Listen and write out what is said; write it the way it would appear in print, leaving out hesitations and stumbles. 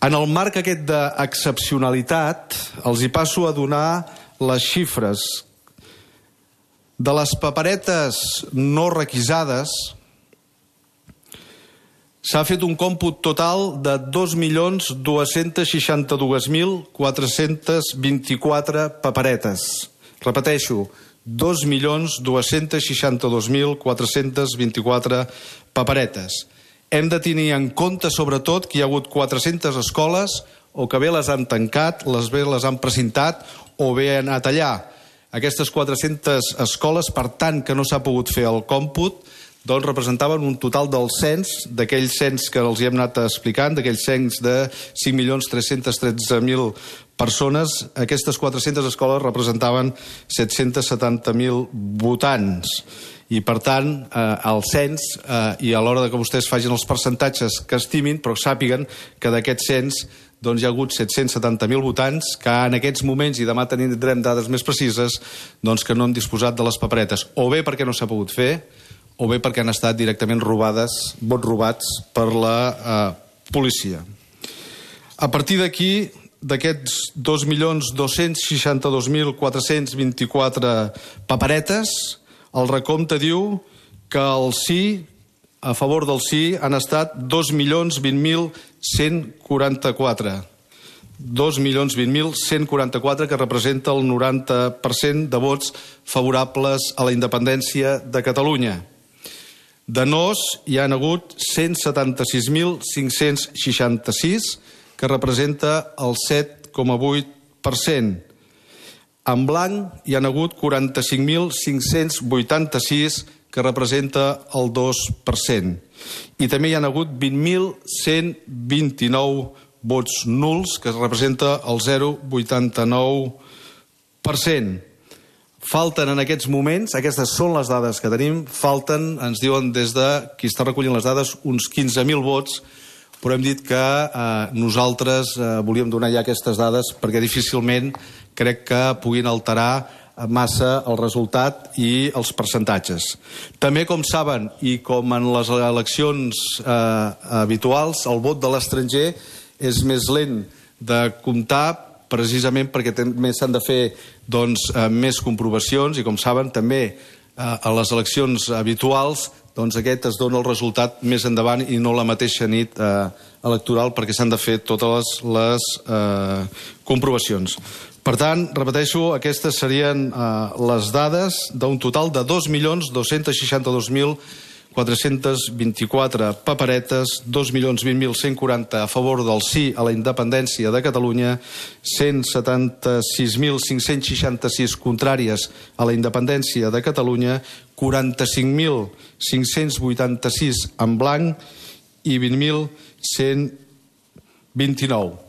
En el marc aquest d'excepcionalitat, els hi passo a donar les xifres. De les paperetes no requisades, s'ha fet un còmput total de 2.262.424 paperetes. Repeteixo, 2.262.424 paperetes. Hem de tenir en compte, sobretot, que hi ha hagut 400 escoles o que bé les han tancat, bé les han precintat o bé han anat allà. Aquestes 400 escoles, per tant, que no s'ha pogut fer el còmput, doncs representaven un total del cens, d'aquell cens que els hi hem anat explicant, d'aquell cens de 5.313.000 persones. Aquestes 400 escoles representaven 770.000 votants. I, per tant, el cens, i a l'hora que vostès facin els percentatges que estimin, però sàpiguen que d'aquest cens doncs hi ha hagut 770.000 votants que en aquests moments, i demà tindrem dades més precises, doncs que no han disposat de les paperetes, o bé perquè no s'ha pogut fer, o bé perquè han estat directament robades, vots robats per la policia. A partir d'aquí, d'aquests 2.262.424 paperetes, el recompte diu que el sí, a favor del sí, han estat 2.020.144. 2.020.144, que representa el 90% de vots favorables a la independència de Catalunya. De nos hi han hagut 176.566, que representa el 7,8%. En blanc hi han hagut 45.586, que representa el 2%. I també hi han hagut 20.129 vots nuls, que representa el 0,89%. Falten en aquests moments, aquestes són les dades que tenim, falten, ens diuen des de qui està recollint les dades, uns 15.000 vots, però hem dit que nosaltres volíem donar ja aquestes dades perquè difícilment crec que puguin alterar massa el resultat i els percentatges. També, com saben, i com en les eleccions habituals, el vot de l'estranger és més lent de comptar, precisament perquè també s'han de fer més comprovacions, i com saben també a les eleccions habituals aquest es dona el resultat més endavant i no la mateixa nit electoral, perquè s'han de fer totes les comprovacions. Per tant, repeteixo, aquestes serien les dades d'un total de 2.262.424 paperetes, 2.020.140 a favor del sí a la independència de Catalunya, 176.566 contràries a la independència de Catalunya, 45.586 en blanc i 20.129.